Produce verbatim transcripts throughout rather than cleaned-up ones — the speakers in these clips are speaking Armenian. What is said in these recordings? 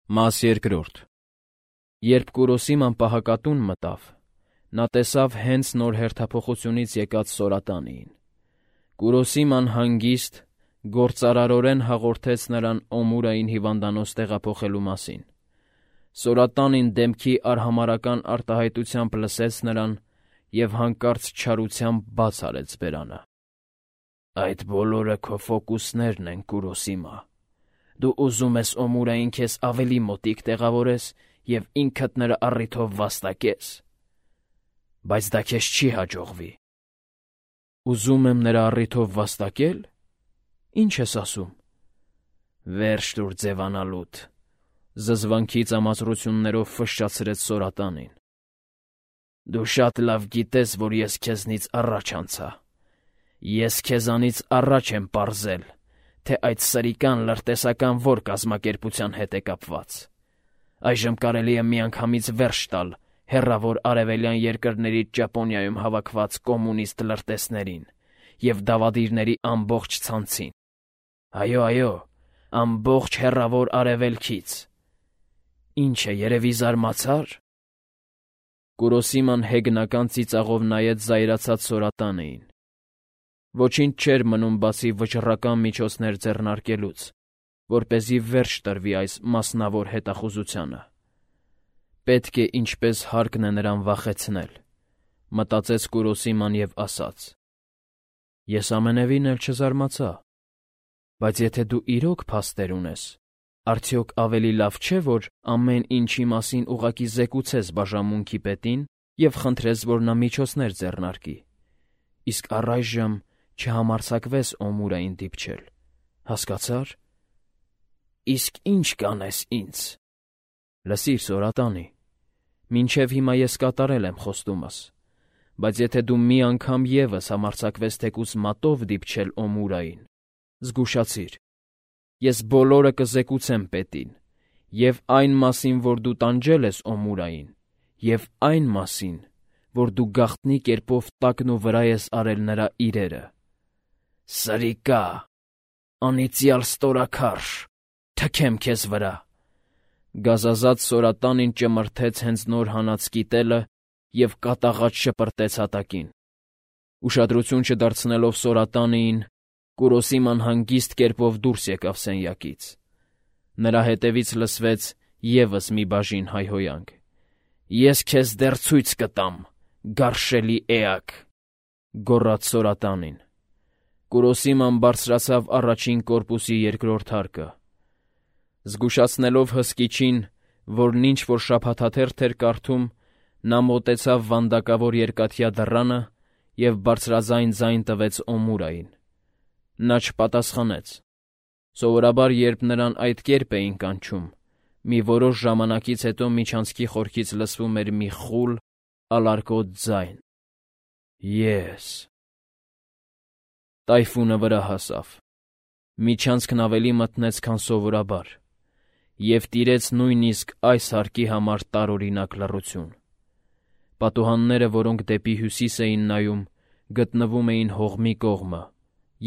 Մաս երկրորդ Երբ Կուրոսիման պահակատուն մտավ, նա տեսավ հենց նոր հերթափոխությունից եկած Սորատանիին։ Կուրոսիման հանգիստ, գործարարորեն հաղորդեց նրան Օմուրային հիվանդանոց տեղափոխելու մասին։ Սորատանին դեմքի արհամարհական արտահայտությամբ լսեց նրան և հանկարծ չարությամբ բաց արեց բերանը։ «Այդ բոլորը քո ֆոկուսներն են, Կուրոսիմա։ Դու ուզում ես Օմուրային քեզ ավելի մոտիկ տեղավորես և ինքդ նրա առիթով վաստակես։ Բայց դա քեզ չի հաջողվի»։ «Ուզում եմ նրա առիթով վաստակե՞լ։ Ի՞նչ ես ասում»։ «Վերջ տուր ձևանալուդ», զզվանքի ծամածրություններով ֆշշացրեց Սորատանին։ «Դու շատ լավ գիտես, որ ես քեզնից առաջ անցա։ Ես քեզանից առաջ եմ պարզել, թե այդ սրիկան լրտեսական որ կազմակերպության հետ է կապված։ Այժմ կարելի է միանգամից վերջ տալ հեռավոր արևելյան երկրներից Ճապոնիայում հավաքված կոմունիստ լրտեսներին և դավադիրների ամբողջ ցանցին։ Այո, այո, ամբողջ հեռավոր արևելքից։ Ինչ է, երևի զարմացա՞ր»։ Կուրոսիման հեգնական ծիծաղով նայեց զայրացած Սորատանիին։ Ոչինչ չէր մնում բացի վճռական միջոցներ ձեռնարկելուց, որպեսզի վերջ տրվի այս մասնավոր հետախուզությանը։ «Պետք է ինչպես հարկն է նրան վախեցնել», մտածեց Կուրոսիման և ասաց. «Ես ամենևին էլ չզարմացա։ Բայց եթե դու իրոք փաստեր ունես, արդյոք ավելի լավ չէ, որ ամեն ինչի մասին ուղղակի զեկուցես բաժանմունքի պետին և խնդրես, որ նա միջոցներ ձեռնարկի, իսկ առայժմ չհամարձակվես Օմուրային դիպչել, հասկացա՞ր։ Իսկ ի՞նչ կանես ինձ»։ «Լսիր, Սորատանի, մինչև հիմա ես կատարել եմ խոստումս, բայց եթե դու մի անգամ ևս համարձակվես թեկուզ մատով դիպչել Օմուրային, զգուշացիր, ես բոլորը կզեկուցեմ պետին, և այն մասին, որ դու տանջել ես Օմուրային, և այն մասին, որ դու գաղտնի կերպով տակն ու վրա ես արել նրա իրերը։ Սրիկա, անիծյալ ստորաքարշ, թքեմ քեզ վրա»։ Գազազած Սորատանին ճմրթեց հենց նոր հանած կիտելը և կատաղած շպրտեց հատակին։ Ուշադրություն չդարձնելով Սորատանիին, Կուրոսիման հանգիստ կերպով դուրս եկավ սենյակից։ Նրա հետևից լսվեց ևս մի բաժին հայհոյանք։ «Ես քեզ դեռ ցույց կտամ, գարշելի էակ», գոռաց Սորատանին։ Կուրոսիման բարձրացավ առաջին կորպուսի երկրորդ հարկը։ Զգուշացնելով հսկիչին, որն ինչ-որ շաբաթաթերթ էր կարդում, նա մոտեցավ վանդակավոր երկաթյա դռանը և բարձրաձայն ձայն տվեց Օմուրային։ Նա չպատասխանեց։ Սովորաբար, երբ նրան այդ կերպ էին կանչում, մի որոշ ժամանակից հետո միջանցքի խորքից լսվում էր մի խուլ, ալարկոտ ձայն. «Ես»։ Տայֆունը վրա հասավ։ Միջանցքն ավելի մթնեց, քան սովորաբար, և տիրեց նույնիսկ այս հարկի համար տարօրինակ լռություն։ Պատուհանները, որոնք դեպի հյուսիս էին նայում, գտնվում էին հողմի կողմը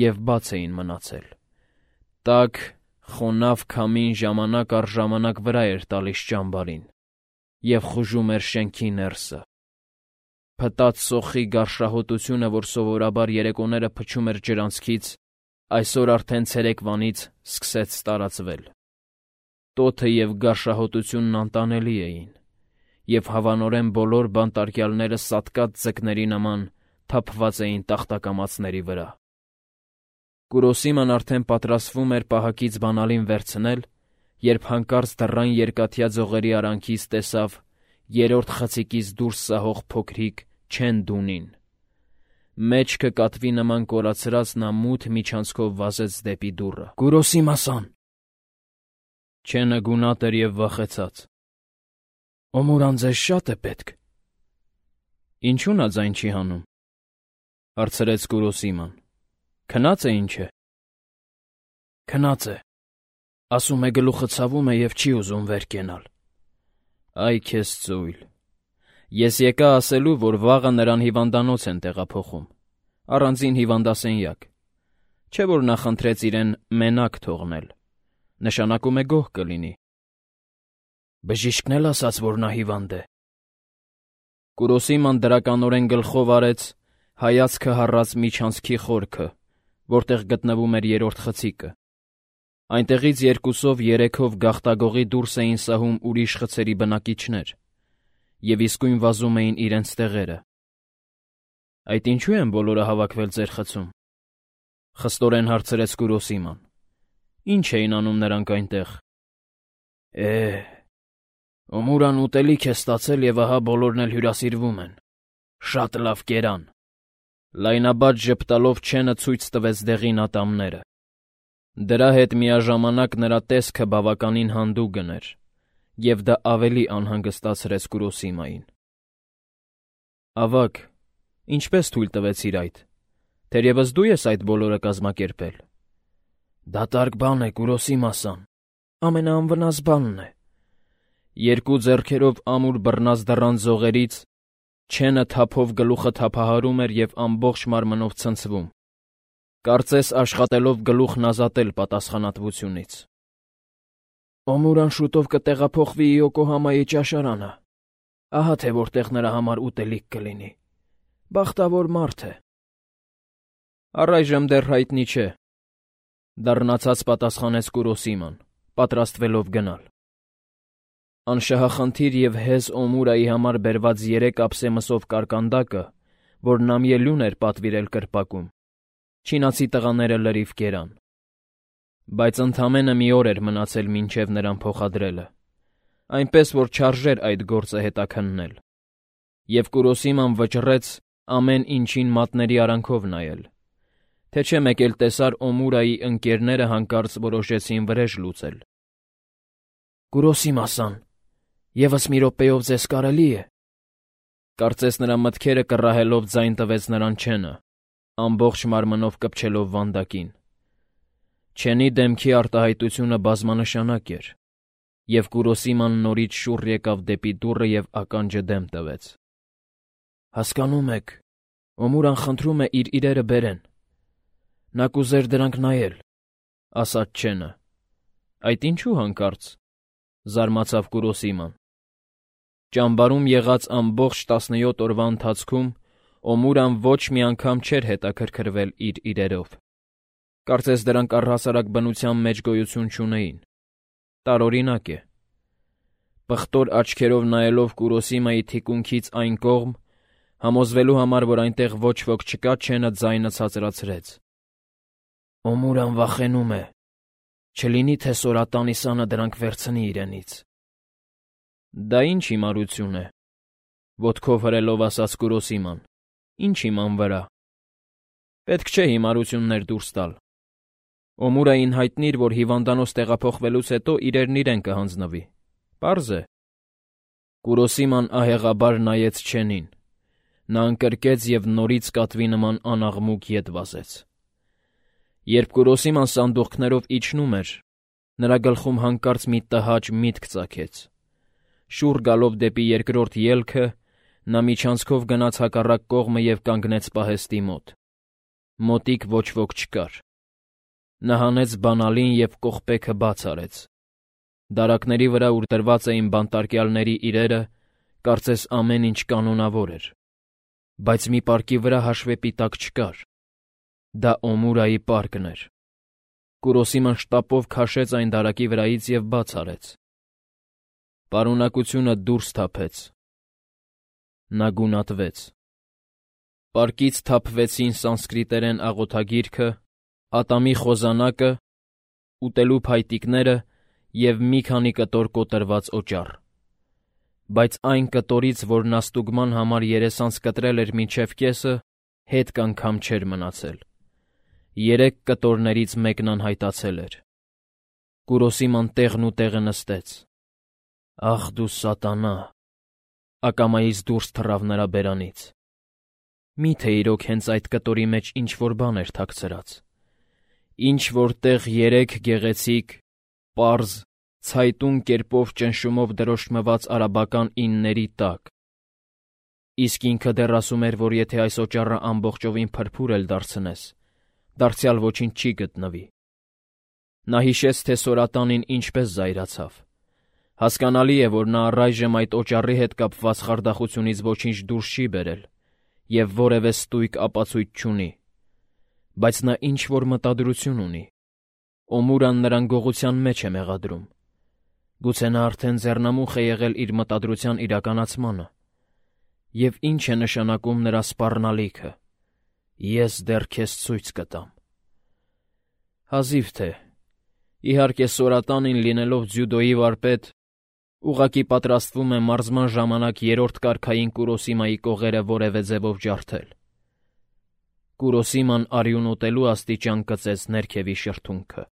և բաց էին մնացել։ Տաք, խոնավ քամին ժամանակ առ ժամանակ վրա էր տալիս ճամբարին և խուժում էր շենքի ներսը։ Փտած սոխի գարշահոտությունը, որ սովորաբար երեկոները փչում էր ջրանցքից, այսօր արդեն ցերեկվանից սկսեց տարածվել։ Տոթը և գարշահոտությունն անտանելի էին, և հավանորեն բոլոր բանտարկյալները սատկած ձկների նման թափված էին տախտակամածների վրա։ Կուրոսիման արդեն պատրաստվում էր պահակից բանալին վերցնել, երբ հանկարծ դռան երկաթյա ձողերի արանքից տեսավ երրորդ խցիկից դուրս սահող փոքրիկ Չեն-Դունին։ Մեջքը կատվի նման կորացրած նա մութ միջանցքով վազեց դեպի դուռը։ «Կուրոսիմա-սան»։ Չենը գունատ էր և վախեցած։ «Օմուրան ձեզ շա՞տ է պետք»։ «Ինչու՞ նա ձայն չի հանում», հարցրեց Կուրոսիման։ «Քնա՞ծ է, ինչ է»։ «Քնած է։ Ասում է գլուխը ցավում է և չի ուզում վեր կենալ»։ «Այ քեզ ծույլ։ Ես եկա ասելու, որ վաղը նրան հիվանդանոց են տեղափոխում, առանձին հիվանդասենյակ։ Չէ՞ որ նա խնդրեց իրեն մենակ թողնել։ Նշանակում է գոհ կլինի»։ Բժիշկն էլ ասաց, որ նա հիվանդ է։ Կուրոսիման դրականորեն գլխով արեց, հայացքը հառած միջանցքի խորքը, որտեղ գտնվում էր երրորդ խցիկը։ Այնտեղից երկուսով երեքով գաղտագողի դուրս էին սահում ուրիշ խցերի բնակիչներ, և իսկույն վազում էին իրենց տեղերը։ Այդ ինչու են բոլորը հավաքվել ձեր խցում, խստորեն հարցրեց Կուրոսիման։ Ինչ էին անում նրանք այնտեղ։ Է, Օմուրան ուտելիք է ստացել և ահա բոլորն էլ հյուրասիրվում են։ Շատ լավ կերան։ Լայնաբաց ժպտալով Չենը ցույց տվեց դեղին ատամները։ Դրա հետ միաժամանակ նրա տեսքը բավականին հանդուգն էր, և դա ավելի անհանգստացրեց Կուրոսիմային։ Ավագ, ինչպես թույլ տվեցիր այդ, թերևս դու ես այդ բոլորը կազմակերպել։ Դատարկ բան է, Կուրոսիմա-սան, ամենաանվնաս բանն է։ Երկու ձեռքերով ամուր բռնած դռան ձողերից Չենը թափով գլուխը թափահարում էր և ամբողջ մարմնով ցնցվում, կարծես աշխատելով գլուխն ազատել պատասխանատվությունից։ Օմուրան շուտով կտեղափոխվի Իոկոհամայի ճաշարանը, ահա թե որտեղ նրա համար ուտելիք կլինի։ Բախտավոր մարդ է։ Առայժմ դեռ հայտնի չէ, դառնացած պատասխանեց Կուրոսիման, պատրաստվելով գնալ։ Անշահախնդիր և հեզ Օմուրայի համար բերված երեք ափսեմսով կարկանդակը, որ Նամիելուն էր պատվիրել կրպակում, չինացի տղաները լրիվ կերան։ Բայց ընդամենը մի օր էր մնացել մինչև նրան փոխադրելը, այնպես որ չարժեր այդ գործը հետաքննել, և Կուրոսիման վճռեց ամեն ինչին մատների արանքով նայել, թե չէ մեկ էլ տեսար Օմուրայի ընկերները հանկարծ որոշեցին վրեժ լուծել։ Կուրոսիմա-սան, ևս մի րոպեով ձեզ կարելի է։ Կարծես նրա մտքերը կռահելով ձայն տվեց նրան Չենը, ամբողջ մարմնով կպչելով վանդակին։ Չենի դեմքի արտահայտությունը բազմանշանակ էր, և Կուրոսիման նորից շուռ եկավ դեպի դուռը և ականջը դեմ տվեց։ Հասկանում եք, Օմուրան խնդրում է իր իրերը բերեն։ Նա կուզեր դրանք նայել, ասաց Չենը։ Այդ ինչու հանկարծ, զարմացավ Կուրոսիման։ Ճամբարում եղած ամբողջ տասնյոթ օրվա ընթացքում Օմուրան ոչ մի անգամ չէր հետաքրքրվել իր իրերով։ Կարծես դրանք առհասարակ բնության մեջ գոյություն չունեին։ Տարօրինակ է։ Պղտոր աչքերով նայելով Կուրոսիմայի թիկունքից այն կողմ, համոզվելու համար, որ այնտեղ ոչ ոք չկա, Չենը ձայնը ցածրացրեց։ Օմուրան վախենում է, չլինի թե Սորատանիսանը դրանք վերցնի իրենից։ Դա ինչ հիմարություն է, ոտքով հրելով ասաց Կուրոսիման, ինչ իման վրա։ Պետք չէ հիմարություններ դուրս տալ։ Օմուրային հայտնիր, որ հիվանդանոց տեղափոխվելուց հետո իրերն իրեն կհանձնվի։ Պարզ է։ Կուրոսիման ահեղաբար նայեց Չենին։ Նա ընկրկեց և նորից կատվի նման անաղմուկ ետ վազեց։ Երբ Կուրոսիման սանդուղքներով իջնում էր, նրա գլխում հանկարծ մի տհաճ միտք ծագեց։ Շուռ գալով դեպի երկրորդ ելքը, նա միջանցքով գնաց հակառակ կողմը և կանգնեց պահեստի մոտ։ Մոտիկ ոչ ոք չկար։ Նա հանեց բանալին և կողպեքը բաց արեց։ Դարակների վրա, ուր դրված էին բանտարկյալների իրերը, կարծես ամեն ինչ կանոնավոր էր, բայց մի պարկի վրա հաշվեպի տակ չկար։ Դա Օմուրայի պարկն էր։ Կուրոսիման շտապով քաշեց այն դարակի վրայից և բաց արեց։ Պարունակությունը դուրս թափեց։ Նա գունատվեց։ Պարկից թափվեցին սանսկրիտերեն աղոթագիրքը, ատամի խոզանակը, ուտելու փայտիկները և մի քանի կտոր կոտրված օճառ։ Բայց այն կտորից, որ նա ստուգման համար երեսանց կտրել էր մինչև կեսը, հետք անգամ չէր մնացել։ Երեք կտորներից մեկն անհայտացել էր։ Կուրոսիման տեղն ու տեղը նստեց։ Ախ դու սատանա, ակամայից դուրս թռավ նրա բերանից։ Մի՞թե իրոք հենց այդ կտորի մեջ ինչ-որ բան էր թաքցրած։ Ինչ-որ տեղ երեք գեղեցիկ, պարզ, ցայտուն կերպով ճնշումով դրոշմված արաբական ինների տակ։ Իսկ ինքը դեռ ասում էր, որ եթե այս օճառը ամբողջովին փրփուր էլ դարձնես, դարձյալ ոչինչ չի գտնվի։ Նա հիշեց, թե Սորատանին ինչպես զայրացավ։ Հասկանալի է, որ նա առայժմ այդ օճառի հետ կապված խարդախությունից ոչինչ դուրս չի բերել և որևէ ստույգ ապացույց չունի, բայց նա ինչ-որ մտադրություն ունի. Օմուրան նրան գողության մեջ է մեղադրում։ Գուցե նա արդեն ձեռնամուխ է եղել իր մտադրության իրականացմանը։ Եվ ի՞նչ է նշանակում նրա սպառնալիքը. «Ես դեռ քեզ ցույց կտամ»։ Հազիվ թե, իհարկե, Սորատանին լինելով ձյուդոյի վարպետ, ուղղակի պատրաստվում է մարզման ժամանակ երրորդ կարգային Կուրոսիմայի կողերը որևէ ձևով ջարդել։ Կուրոսիման արյուն ուտելու աստիճան կծեց ներքևի շրթունքը։